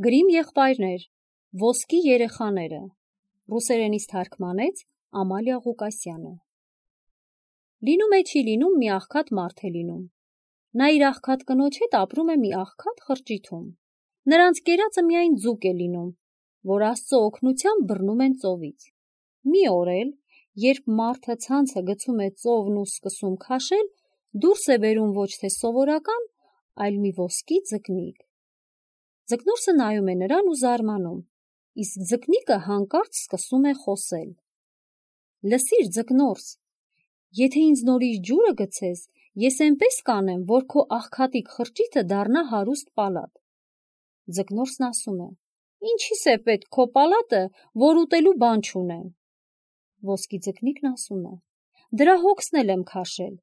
Գրիմ եղբայրներ, ոսկի երեխաները, ռուսերենից թարգմանեց Ամալիա Ղուկասյանը։ Լինում է չի լինում մի աղքատ մարդ է լինում։ Նա իր աղքատ կնոջ հետ ապրում է մի աղքատ խրճիթում։ Նրանց կերածը միայն ձուկ է լինում, որ Աստծո օգնությամբ բռնում են ծովից։ Մի օր էլ, երբ մարդը ցանցը գցում է ծովն ու սկսում քաշել, դուրս է բերում ոչ թե սովորական, այլ մի ոսկի ձկնիկ։ Ձկնորսը նայում է նրան ու զարմանում, իսկ ձկնիկը հանկարծ սկսում է խոսել. «Լսիր, ձկնորս, եթե ինձ նորից ջուրը գցես, ես այնպես կանեմ, որ քո աղքատիկ խրճիթը դառնա հարուստ պալատ»։ Ձկնորսն ասում է. «Ինչի՞ս է պետք քո պալատը, որ ուտելու բան չունեմ»։ Ոսկի ձկնիկն ասում է. «Դրա հոգսն էլ եմ քաշել,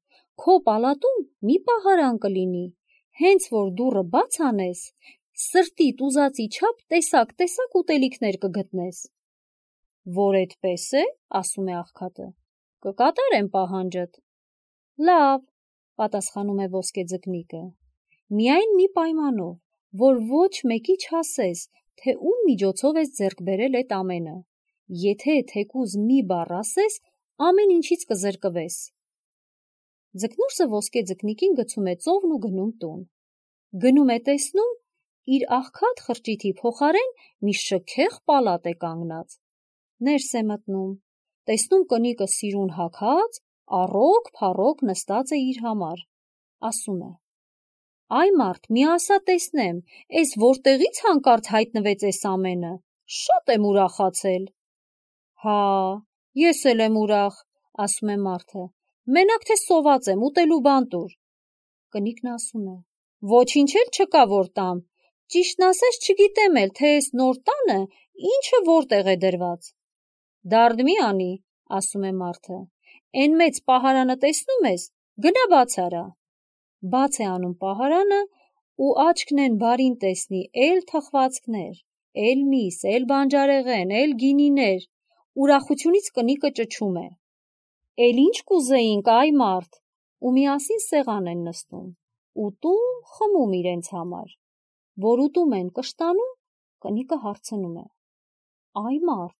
քո պալատում մի պահարան կլինի, հենց որ դուռը բաց անես, սրտիդ ուզածի չափ տեսակ ուտելիքներ կգտնես»։ «Որ էդպես է, ասում է աղքատը, կկատարեմ պահանջդ»։ «Լավ», պատասխանում է ոսկե ձկնիկը, «միայն մի պայմանով, որ ոչ մեկի չասես, թե ում միջոցով ես ձեռք բերել այդ ամենը, եթե թեկուզ մի բառ ասես, ամեն ինչից կզրկվես»։ Ձկնորսը ոսկե ձկնիկին գցում է ծովն ու գնում տուն։ Գնում է տեսնում, իր աղքատ խրճիթի փոխարեն մի շքեղ պալատ է կանգնած։ Ներս է մտնում, տեսնում կնիկը սիրուն հագած, առոգ-փառոգ նստած է իր համար։ Ասում է. «Այ մարդ, մի ասա տեսնեմ, էս որտեղից հանկարծ հայտնվեց էս ամենը, շատ եմ ուրախացել»։ «Հա, ես էլ եմ ուրախ», ասում է մարդը, «մենակ թե սոված եմ, ուտելու բան տուր»։ Կնիկն ասում է. «Ոչինչ էլ չկա որ տամ, ճիշտն ասած չգիտեմ էլ, թե էս նոր տանը ինչը որտեղ է դրված»։ «Դարդ մի անի», ասում է մարդը, «էն մեծ պահարանը տեսնում ես, գնա բաց արա»։ Բաց է անում պահարանը ու աչքն են բարին տեսնի, էլ թխվածքներ, էլ միս, էլ բանջարեղեն, էլ գինիներ, ուրախությունից կնիկը ճչում է. «Էլ ինչ կուզեինք, այ մարդ», ու միասին սեղան են նստում, ուտում, խմում իրենց համար։ Որ ուտում են կշտանում, կնիկը հարցնում է. «Այ մարդ,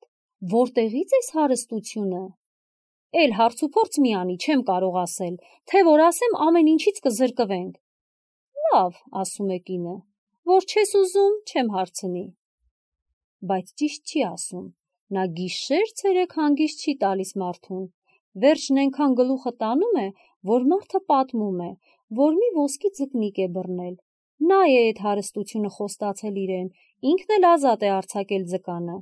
որտեղից էս հարստությունը»։ «Էլ հարցուփորձ մի անի, չեմ կարող ասել, թե որ ասեմ ամեն ինչից կզրկվենք»։ «Լավ», ասում է կինը, «որ չես ուզում, չեմ հարցնի»։ Բայց ճիշտ չի ասում, նա գիշեր-ցերեկ հանգիստ չի տալիս մարդուն, վերջն այնքան գլուխը տանում է, որ մարդը պատմում է, որ մի ոսկի ձկնիկ է բռնել, նա է այդ հարստությունը խոստացել իրեն, ինքն էլ ազատ է արձակել ձկանը։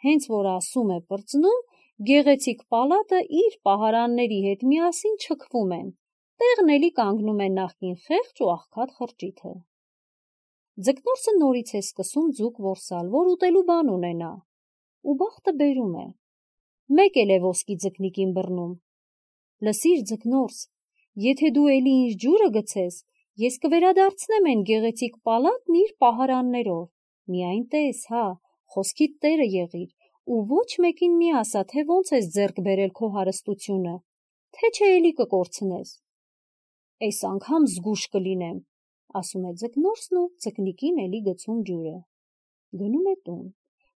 Հենց որ ասում է պրծնում, գեղեցիկ պալատը իր պահարանների հետ միասին չքվում են, տեղն էլի կանգնում է նախկին խեղճ ու աղքատ խրճիթը։ Ձկնորսը նորից է սկսում ձուկ որսալ, որ ուտելու բան ունենա, ու բախտը բերում է։ Մեկ էլ է ոսկի ձկնիկին բռնում. «Լսիր, ձկնորս, եթե դու էլի ինձ ջուրը գցես, ես կվերադարձնեմ այն գեղեցիկ պալատն իր պահարաններով, միայն տես, հա, խոսքիդ տերը եղիր, ու ոչ մեկին մի ասա, թե ոնց ես ձեռք բերել քո հարստությունը, թե չէ էլի կկորցնես»։ «Էս անգամ զգույշ կլինեմ», ասում է ձկնորսն ու ձկնիկին էլի գցում ջուրը։ Գնում է տուն,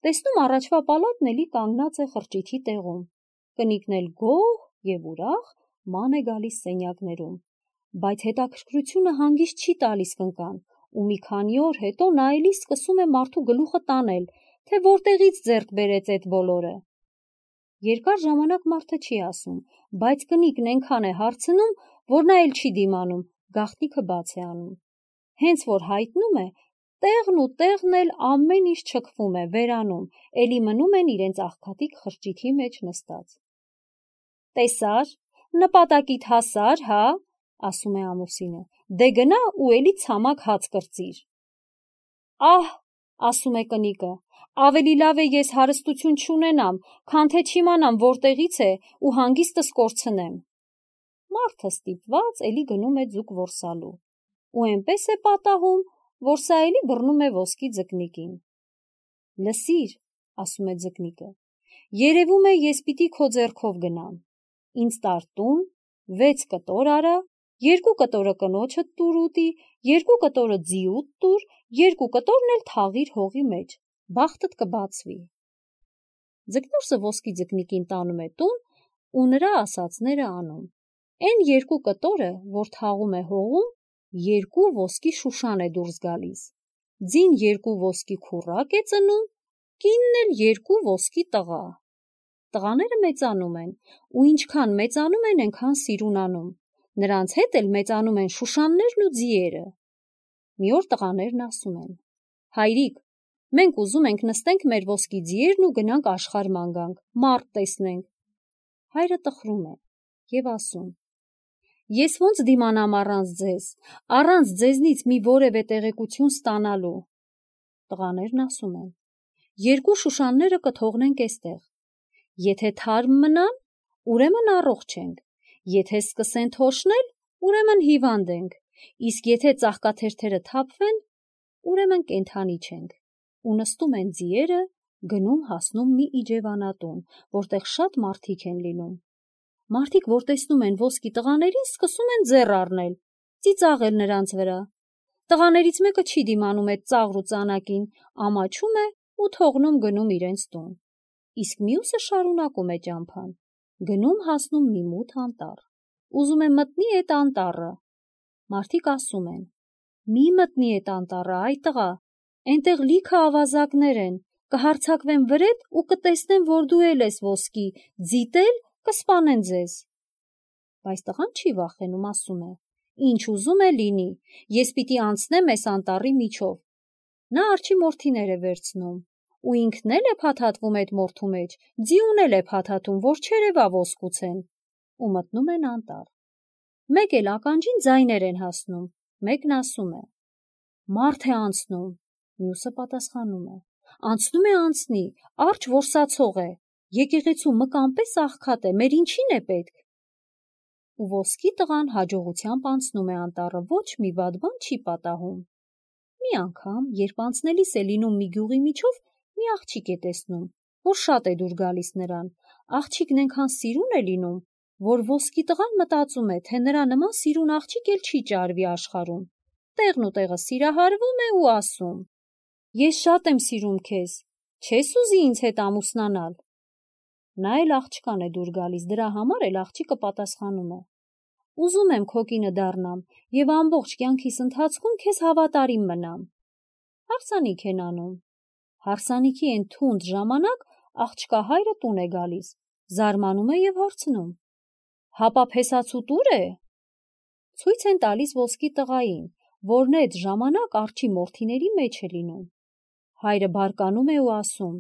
տեսնում առաջվա պալատն էլի կանգնած է խրճիթի տեղում, կնիկն էլ գոհ և ուրախ ման է գալիս սենյակներում, բայց հետաքրքրությունը հանգիստ չի տալիս կնկան, ու մի քանի օր հետո նա էլի սկսում է մարդու գլուխը տանել, թե որտեղից ձեռք բերեց այդ բոլորը։ Երկար ժամանակ մարդը չի ասում, բայց կնիկն այնքան է հարցնում, որ նա էլ չի դիմանում, գաղտնիքը բաց է անում։ Հենց որ հայտնում է, տեղն ու տեղն էլ ամեն ինչ չքվում է, վերանում, էլի մնում են իրենց աղքատիկ խրճիթի մեջ նստած։ «Տեսար, նպատակիդ հասար, հա», ասում է ամուսինը, «դե գնա ու էլի ցամաք հաց կրծիր»։ «Ահ», ասում է կնիկը, «ավելի լավ է ես հարստություն չունենամ, քան թե չիմանամ որտեղից է ու հանգիստս կորցնեմ»։ Մարդը ստիպված էլի գնում է ձուկ որսալու, ու այնպես է պատահում, որ սա էլի բռնում է ոսկի ձկնիկին։ «Լսիր», ասում է ձկնիկը, «երևում է ես պիտի քո ձեռքով գնամ, ինձ տար տուն, 6 կտոր արա, 2 կտորը կնոջդ տուր ուտի 2 կտորը ձիուտ տուր, 2 կտորն էլ թաղիր հողի մեջ, բախտդ կբացվի։ Ձկնորսը ոսկի ձկնիկին տանում է տուն ու նրա ասածները անում։ Այն 2 կտորը, որ թաղում է հողում, 2 ոսկի շուշան է դուրս գալիս։ Ձին 2 ոսկի քուռակ է ծնում, կինն էլ 2 ոսկի տղա։ Տղաները մեծանում են, ու ինչքան մեծանում են, այնքան սիրունանում։ Նրանց հետ էլ մեծանում են շուշաններն ու ձիերը։ Մի օր տղաներն ասում են. հայրիկ, մենք ուզում ենք նստենք մեր ոսկի ձիերն ու գնանք աշխարհ ման գանք, մարդ տեսնենք։ Հայրը տխրում է եւ ասում. ես ոնց դիմանամ առանց ձեզնից մի որևէ տեղեկություն ստանալու։ Տղաներն ասում են. 2 շուշանները կթողնենք էստեղ։ Եթե թարմ մնան, ուրեմն առողջ ենք, եթե սկսեն թոշնել, ուրեմն հիվանդ ենք, իսկ եթե ծաղկաթերթերը թափվեն, ուրեմն կենդանի չենք։ Ու նստում են ձիերը, գնում հասնում մի իջևանատուն, որտեղ շատ մարդիկ են լինում։ Մարդիկ, որ տեսնում են ոսկի տղաներին, սկսում են ձեռ առնել, ծիծաղել նրանց վրա։ Տղաներից մեկը չի դիմանում այդ ծաղր ու ծանակին, ամաչում է ու թողնում գնում իրենց տուն։ Իսկ մյուսը շարունակում է ճամփան, գնում հասնում մի մութ անտառ, ուզում է մտնի այդ անտառը։ Մարդիկ ասում են. մի մտնի այդ անտառը, այ տղա, այնտեղ լիքը ավազակներ են, կհարձակվեն վրեդ ու կտեսնեն, որ դու էլ ես ոսկի, ձիտել կսպանեն ձեզ։ Բայց տղան չի վախենում, ասում է. ինչ ուզում է լինի, ես պիտի անցնեմ այս անտառի միջով։ Նա արջի մորթիներ է վերցնում, ու ինքն էլ է փաթաթվում այդ մորթու մեջ, ձիուն էլ է փաթաթում, որ չերևա ոսկուցեն, ու մտնում են անտառ։ Մեկ էլ ականջին ձայներ են հասնում, մեկն ասում է. մարդ է անցնում, մյուսը պատասխանում է. անցնում է անցնի, արջ որսացող է, եկեղեցու մկան պես աղքատ է, մեր ինչին է պետք։ Ու ոսկի տղան հաջողությամբ անցնում է անտառը, ոչ մի վատ բան չի պատահում։ Մի անգամ, երբ անցնելիս է լինում մի գյուղի միջով, մի աղջիկ է տեսնում, որ շատ է դուր գալիս նրան։ Աղջիկն այնքան սիրուն է լինում, որ ոսկի տղան մտածում է, թե նրա նման սիրուն աղջիկ էլ չի ճարվի աշխարհում։ Տեղն ու տեղը սիրահարվում է ու ասում. ես շատ եմ սիրում քեզ, չես ուզի ինձ հետ ամուսնանալ։ Նա էլ աղջկան է դուր գալիս, դրա համար էլ աղջիկը պատասխանում է. ուզում եմ քո կինը դառնամ եւ ամբողջ կյանքիս ընթացքում քեզ հավատարիմ մնամ։ Հարսանիք են անում։ Հարսանիքի այն թունդ ժամանակ աղջկա հայրը տուն է գալիս, զարմանում է եւ հարցնում. հապա փեսացու տուր է։ Ցույց են տալիս ոսկի տղային, որն այդ ժամանակ արջի մորթիների մեջ է լինում։ Հայրը բարկանում է ու ասում.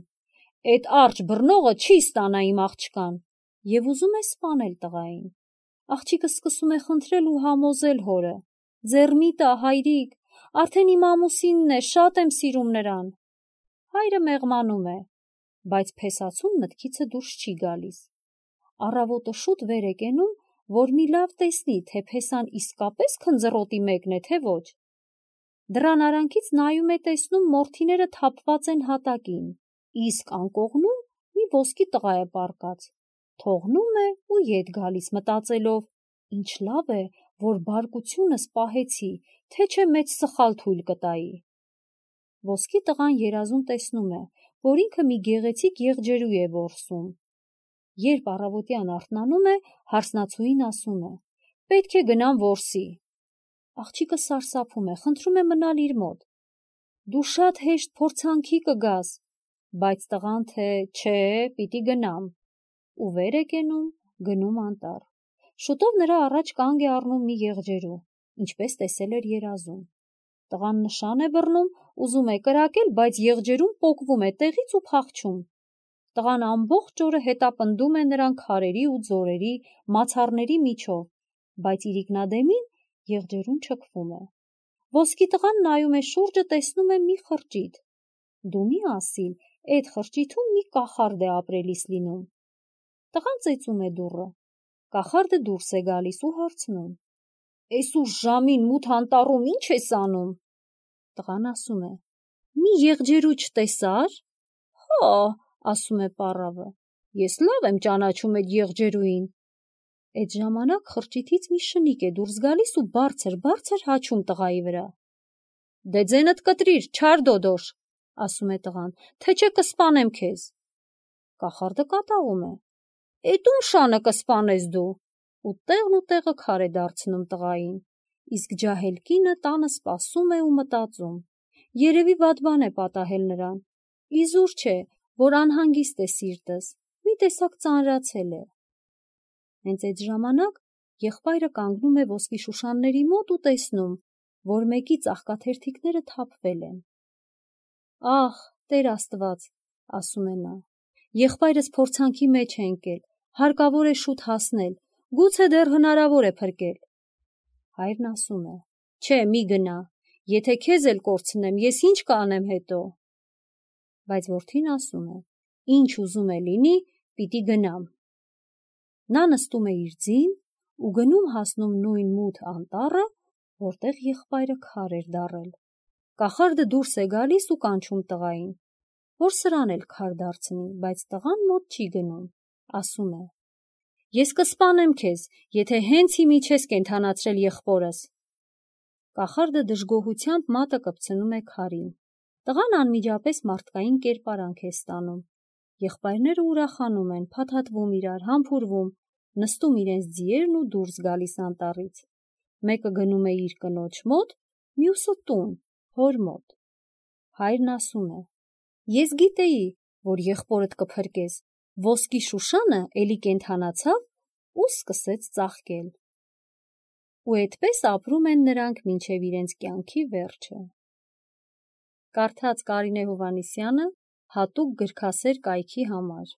այդ արջ բռնողը չի ստանա իմ աղջկան, եւ ուզում է սպանել տղային։ Աղջիկը սկսում է խնդրել ու համոզել հորը. ձեռ մի տա, հայրիկ, արդեն իմ ամուսինն է, շատ եմ սիրում նրան։ Հայրը մեղմանում է, բայց փեսացուն մտքիցը դուրս չի գալիս։ Առավոտը շուտ վեր է կենում, որ մի լավ տեսնի, թե փեսան իսկապես քնձռոտի մեկն է, թե ոչ։ Դռան արանքից նայում է, տեսնում մորթիները թափված են հատակին, իսկ անկողնում մի ոսկի տղա է պառկած։ Թողնում է ու ետ գալիս, մտածելով. ինչ լավ է, որ բարկությունս պահեցի, թե չէ մեծ սխալ թույլ կտայի։ Ոսկի տղան երազում տեսնում է, որ ինքը մի գեղեցիկ եղջերու է որսում։ Երբ առավոտյան արթնանում է, հարսնացուին ասում է. պետք է գնամ որսի։ Աղջիկը սարսափում է, խնդրում է մնալ իր մոտ։ Դու շատ հեշտ փորձանքի կգաս, բայց տղան թե չէ, պիտի գնամ։ Ու վեր է կենում, գնում անտառ։ Շուտով նրա առաջ կանգ է առնում մի եղջերու, ինչպես տեսել էր երազում։ Տղան նշան է բռնում, ուզում է կրակել, բայց եղջերուն պոկվում է տեղից ու փախչում։ Տղան ամբողջ օրը հետապնդում է նրան քարերի ու ձորերի, մացառների միջով, բայց իրիկնադեմին եղջերուն չքվում է։ Ոսկի տղան նայում է շուրջը, տեսնում է մի խրճիթ։ Դու մի ասիլ, այդ խրճիթում մի կախարդ է ապրելիս լինում։ Տղան ծեծում է դուռը։ Կախարդը դուրս է գալիս ու հարցնում. «Էս ուշ ժամին մութ անտառում ի՞նչ ես անում»։ Տղան ասում է. «Մի եղջերու չտեսա՞ր»։ «Հա», ասում է պառավը, «ես լավ եմ ճանաչում այդ եղջերուին»։ Այդ ժամանակ խրճիթից մի շնիկ է դուրս գալիս ու բարձր հաչում տղայի վրա։ Դե ձենդ կտրիր, չար դոդոշ, ասում է տղան, թե չէ կսպանեմ քեզ։ Կախարդը կատաղում է։ Էդ ում շանը կսպանես դու։ Ու տեղը քար է դարձնում տղային։ Իսկ ջահել կինը տանը սպասում է ու մտածում։ Երևի վատ բան է պատահել նրան։ Իզուր չէ, որ անհանգիստ է սիրտս, մի տեսակ ծանրացել է։ Հենց այդ ժամանակ եղբայրը կանգնում է ոսկի շուշանների մոտ ու տեսնում, որ մեկի ծաղկաթերթիկները թափվել են։ Ահ, Տեր Աստված, ասում է նա, եղբայրս փորձանքի մեջ է ընկել, հարկավոր է շուտ հասնել, գուցե դեռ հնարավոր է փրկել։ Հայրն ասում է. Չէ, մի գնա, եթե քեզ էլ կորցնեմ, ես ինչ կանեմ հետո։ Բայց որդին ասում է. Ինչ ուզում է լինի, պիտի գնամ։ Նա նստում է իր ձին ու գնում հասնում նույն մութ անտառը, որտեղ եղբայրը քար էր դառել։ Կախարդը դուրս է գալիս ու կանչում տղային, որ սրան էլ քար դարձնի, բայց տղան մոտ չի գնում, ասում է. Ես կսպանեմ քեզ, եթե հենց հիմի չես կենդանացրել եղբորս։ Կախարդը դժգոհությամբ մատը կպցնում է քարին։ Տղան անմիջապես մարդկային կերպարանք է ստանում։ Եղբայրները ուրախանում են, փաթաթվում իրար, համբուրվում, նստում իրենց ձիերն ու դուրս գալիս անտառից։ Մեկը գնում է իր կնոջ մոտ, մյուսը տուն, հոր մոտ։ Հայրն ասում է. Ես գիտեի, որ եղբորդ կփրկես, ոսկի շուշանը էլի կենդանացավ ու սկսեց ծաղկել։ Ու այդպես ապրում են նրանք մինչև իրենց կյանքի վերջը։ Կարդաց Կարինե Հովհաննիսյանը հատուկ գրքասեր կայքի համար։